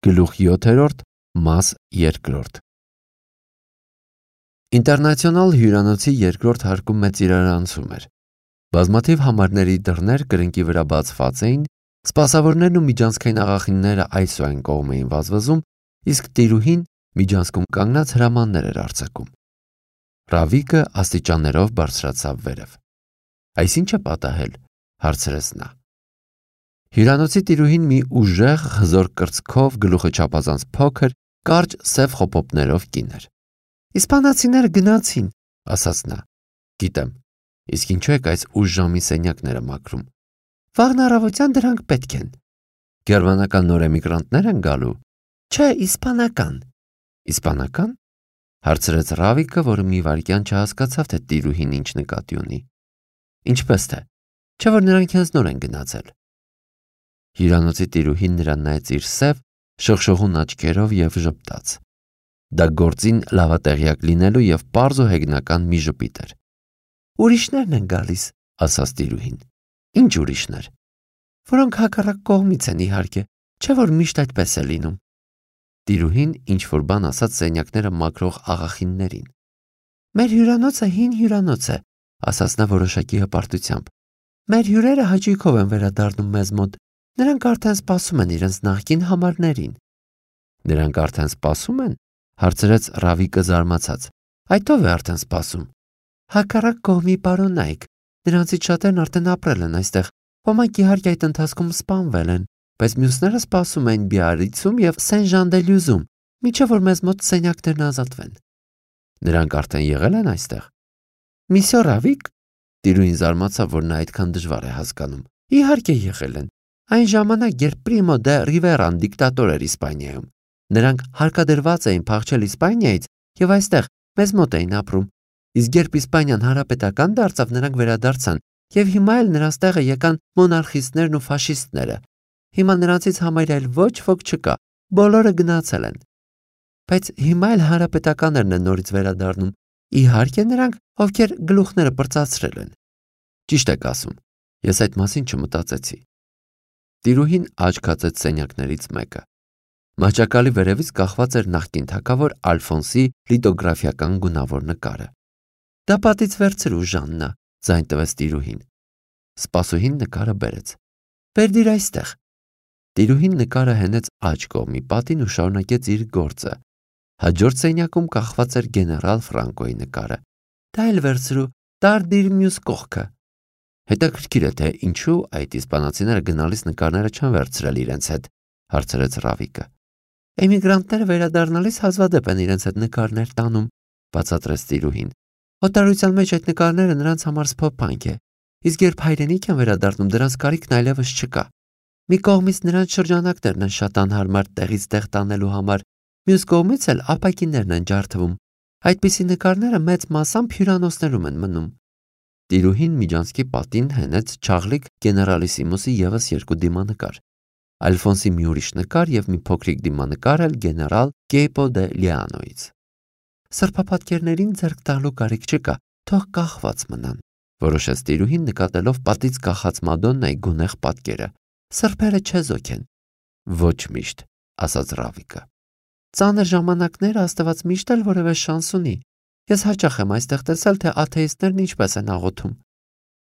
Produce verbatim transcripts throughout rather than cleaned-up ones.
Գլուխ յոթերորդ, մաս երկրորդ։ Ինտերնացիոնալ հյուրանոցի երկրորդ հարկում մեծ իրարանցում էր։ Բազմաթիվ համարների դռներ կրկնակի վրա բացված էին, սպասավորներն ու միջանցքային աղախինները այս ու այն կողմ էին վազվզում, իսկ տիրուհին միջանցքում կանգնած հրամաններ էր արձակում։ Ռավիկը աստիճաններով բարձրացավ վերև։ Այս ի՞նչ է պատահել, հարցրեց նա։ Հյուրանոցի տիրուհին մի ուժեղ, հզոր կրծքով, գլուխը չափազանց փոքր, կարճ սև խոպոպներով կին էր։ Իսպանացիները գնացին, ասաց նա։ Գիտեմ, իսկ ինչու եք այս ուշ ժամի սենյակները մաքրում։ Վաղն առավոտյան դրանք պետք են։ Գերմանական նոր էմիգրանտներ են գալու։ Չէ, իսպանական։ Իսպանական։ Հարցրեց Ռավիկը, որը մի վայրկյան չհասկացավ, թե տիրուհին ինչ նկատի ունի։ Ինչպես թե, չէ՞ որ նրանք հենց նոր են գնացել։ Հյուրանոցի տիրուհին նրան նայեց իր սև, շողշողուն աչքերով և ժպտաց։ Դա գործին լավատեղյակ լինելու և պարզ ու հեգնական մի ժպիտ էր։ Ուրիշներն են գալիս, ասաց տիրուհին։ Ինչ ուրիշներ։ Որոնք հակառակ կողմից են, իհարկե, չէ՞ որ միշտ այդպես է լինում։ Տիրուհին ինչ-որ բան ասաց սենյակները մաքրող աղախիններին։ Մեր հյուրանոցը հին հյուրանոց է, ասաց նա որոշակի հպարտությամբ։ Մեր հյուրերը հաճույքով են վերադառնում մեզ մոտ։ Նրանք արդեն սպասում են իրենց նախկին համարներին։ Նրանք արդեն սպասում են, հարցրեց Ռավիկը զարմացած։ Այդ ով է արդեն սպասում։ Հակառակ կողմի պարոնայք։ Նրանցից շատերն արդեն ապրել են այստեղ։ Ոմանք իհարկե այդ ընթացքում սպանվել են, բայց մյուսները սպասում են Բիարրիցում և Սեն-Ժան-դե-Լյուզում, մինչև որ մեզ մոտ սենյակներն ազատվեն։ Նրանք արդեն եղել են այստեղ։ Միսյո Ռավիկ։ Տիրուհին զարմացավ, որ նա այդքան դժվար է հասկանում։ Իհարկե եղել են։ Այն ժամանակ, երբ Պրիմո դե Ռիվերան դիկտատոր էր Իսպանիայում, նրանք հարկադրված էին փախչել Իսպանիայից և այստեղ մեզ մոտ էին ապրում, իսկ երբ Իսպանիան հանրապետական դարձավ, նրանք վերադարձան և հիմա էլ նրանց տեղը եկան մոնարխիստներն ու ֆաշիստները։ Հիմա նրանցից համարյա այլ ոչ ոք չկա, բոլորը գնացել են։ Բայց հիմա էլ հանրապետականներն են նորից վերադառնում, իհարկե նրանք, ովքեր գլուխները պրծացրել են։ Ճիշտ եք ասում, ես այդ մասին չմտածեցի։ Տիրուհին աչք հացեց սենյակներից մեկը։ Մահճակալի վերևից կախված էր նախկին թագավոր Ալֆոնսի լիտոգրաֆիական գունավոր նկարը։ Դա պատից վերցրու, Ժաննա, ձայն տվեց տիրուհին։ Սպասուհին նկարը բերեց։ Բերդիր այստեղ։ Տիրուհին նկարը հենեց աջ կողմի պատին ու շարունակեց իր գործը։ Հաջորդ սենյակում կախված էր գեներալ Ֆրանկոյի նկարը։ Դա էլ վերցրու, դարդիր մյուս կողքը։ Հետաքրքիր է, թե ինչու այդ իսպանացիները գնալիս նկարները չեն վերցրել իրենց հետ, հարցրեց Ռավիկը։ Էմիգրանտները վերադառնալիս հազվադեպ են իրենց հետ նկարներ տանում, բացատրեց տիրուհին։ Օտարության մեջ այդ նկարները նրանց համար սփոփանք է, իսկ երբ հայրենիք են վերադառնում, դրանց կարիքն այլևս չկա։ Մի կողմից նրանց շրջանակներն են շատ անհարմար տեղից տեղ տանելու համար, մյուս կողմից էլ ապակիներն են ջարդվում։ Այդպիսի նկարները մեծ մասամբ հյուրանոցներում են մնում։ Տիրուհին միջանցքի պատին հենեց Չաղլիկ գեներալիսիմուսի ևս երկու դիմանկար։ Ալֆոնսի մի ուրիշ նկար և մի փոքրիկ դիմանկար էլ գեներալ Կեյպո դե Լիանոյից։ Սրբապատկերներին ձեռք տալու կարիք չկա, թող կախված մնան, որոշեց տիրուհին նկատելով պատից կախած Մադոննայի գունեղ պատկերը։ Սրբերը չեզոք են։ Ոչ միշտ, ասաց Ռավիկը։ Ծանր ժամանակները Աստված միշտ էլ որևէ շանս ունի։ Ես հաճախ եմ այստեղ տեսել, թե աթեիստներն ինչպես են աղոթում։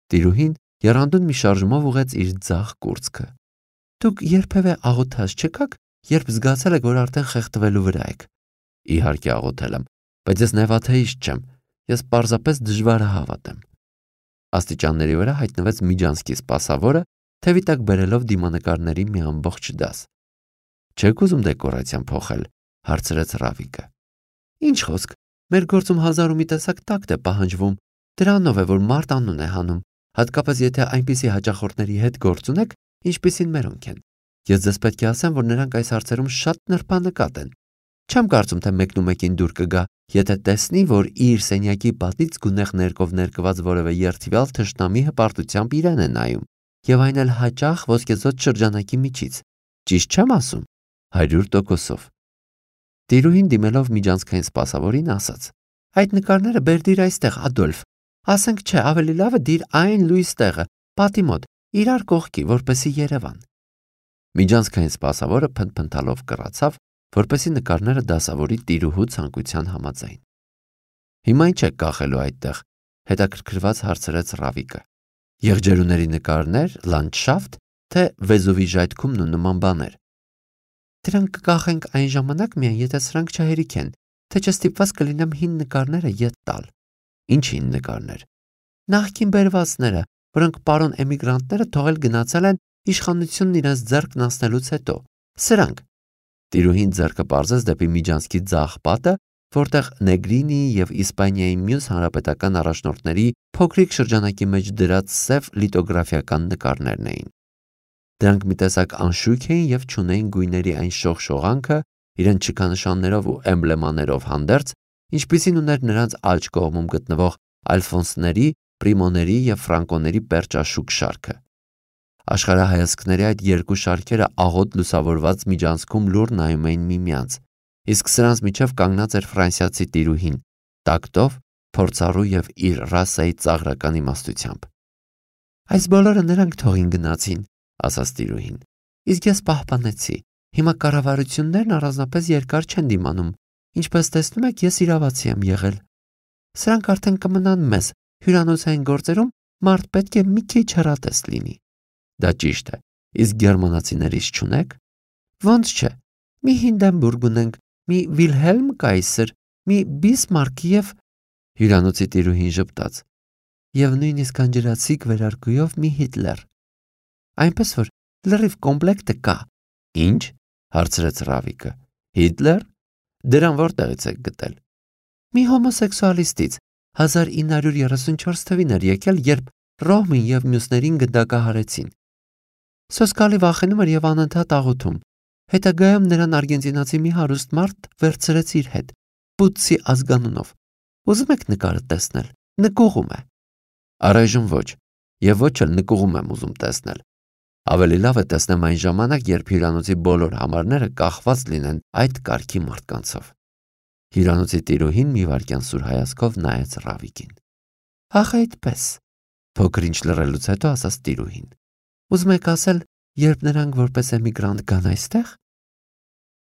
Տիրուհին եռանդուն մի շարժումով ուղեց իր ձախ կուրծքը։ Դուք երբևէ աղոթած չեկաք, երբ զգացել եք, որ արդեն խեղդվելու վրա եք։ Իհարկե աղոթել եմ, բայց ես նեվաթեիստ չեմ, ես պարզապես դժվար է հավատեմ։ Աստիճանների վրա հայտնվեց միջանցքի սպասավորը, թևի տակ բերելով դիմանկարների մի ամբողջ դաս։ Չեք ուզում դեկորացիան փոխել, հարցրեց Ռավիկը։ Ինչ խոսք, մեր գործում հազար ու մի տեսակ տակտ է պահանջվում, դրանով է, որ մարդ անուն է հանում, հատկապես եթե այնպիսի հաճախորդների հետ գործ ունեք, ինչպիսին մերոնք են։ Ես ձեզ պետք է ասեմ, որ նրանք այս հարցերում շատ նրբանկատ են։ Չեմ կարծում, թե մեկն ու մեկին դուր կգա, եթե տեսնի, որ իր սենյակի պատից գունեղ ներկով ներկված որևէ երդվյալ թշնամի հպարտությամբ իրեն է նայում, եւ այն էլ հաճախ ոսկեզօծ շրջանակի միջից։ Ճիշտ չեմ ասում։ Հարյուր տոկոսով։ Տիրուհին դիմելով միջանցքային սպասավորին ասաց. Այդ նկարները բերդիր այստեղ, Ադոլֆ։ Ասենք չէ, ավելի լավ է դիր այն լույս տեղը, պատի մոտ, իրար կողքի, որպեսի Երևան։ Միջանցքային սպասավորը փնթփնթալով կռացավ, որպեսզի նկարները դասավորի տիրուհու ցանկության համաձայն։ Հիմա ինչ եք կախելու այդտեղ, հետաքրքրված հարցրեց Ռավիկը։ Եղջերուների նկարներ, լանդշաֆտ, թե Վեզուվի ժայթքումն ու նման բաներ։ Դրանք կկախենք այն ժամանակ միայն, եթե սրանք չհերիք են, թե չստիպված կլինեմ հին նկարները ետ տալ։ Ինչ հին նկարներ։ Նախկին բերվածները, որոնք պարոն էմիգրանտները թողել գնացել են իշխանությունն իրենց ձեռքն անցնելուց հետո։ Սրանք։ Տիրուհին ձեռքը պարզեց դեպի միջանցքի ձախ պատը, որտեղ Նեգրինիի եւ Իսպանիայի մյուս հանրապետական առաջնորդների փոքրիկ շրջանակի մեջ դրած սև լիտոգրաֆիական նկարներն էին։ Դրանք մի տեսակ անշույք էին եւ չունեին գույների այն շողշողանքը, իրենց շքանշաններով ու էմբլեմաներով հանդերձ, ինչպիսին ուներ նրանց աջ կողմում գտնվող ալֆոնսների, պրիմոների եւ ֆրանկոների պերճաշուք շարքը։ Աշխարհահայացքների այդ երկու շարքերը աղոտ լուսավորված միջանցքում լուր նայում էին միմյանց, իսկ սրանց միջև կանգնած էր ֆրանսիացի տիրուհին, տակտով, փորձառու եւ իր ռասայի ծաղրական իմաստությամբ։ Այս բոլորը նրանք թողին գնացին, ասաց տիրուհին, իսկ ես պահպանեցի։ Հիմա կառավարություններն առանձնապես երկար չեն դիմանում, ինչպես տեսնում եք, ես իրավացի եմ եղել։ Սրանք արդեն կմնան մեզ, հյուրանոցային գործերում մարդ պետք է մի քիչ հեռատես լինի։ Դա ճիշտ է, իսկ գերմանացիներից չունեք։ Ոնց չէ։ Մի Հինդենբուրգ ունենք, մի Վիլհելմ Կայսեր, մի Բիսմարկ եւ հյուրանոցի տիրուհին ժպտաց։ Եվ նույնիսկ անջրացիկ վերարկուով մի Հիտլեր։ Այնպես որ լրիվ կոմպլեկտը կա։ Ինչ? Հարցրեց Ռավիկը։ Հիտլեր? Դրան որտեղից եք գտել։ Մի հոմոսեքսուալիստից հազար ինը հարյուր երեսունչորս թվին էր եկել, երբ Ռոհմին եւ մյուսներին գնդակահարեցին։ Սոսկալի վախենում էր եւ անընդհատ աղոթում։ Հետագայում նրան արգենտինացի մի հարուստ մարդ վերցրեց իր հետ, Պուտսի ազգանունով։ Ուզում եք նկարը տեսնել։ Նկուղում է։ Առայժմ ոչ, եւ ոչ էլ նկուղում եմ ուզում տեսնել։ Ավելի լավ է տեսնեմ այն ժամանակ, երբ հյուրանոցի բոլոր համարները կախված լինեն այդ կարգի մարդկանցով։ Հյուրանոցի տիրուհին մի վայրկյան սուր հայացքով նայեց Ռավիկին։ Ախ, այդպես։ Փոքր ինչ լռելուց հետո ասաց տիրուհին. Ուզում եք ասել, երբ նրանք որպես էմիգրանտ գան այստեղ,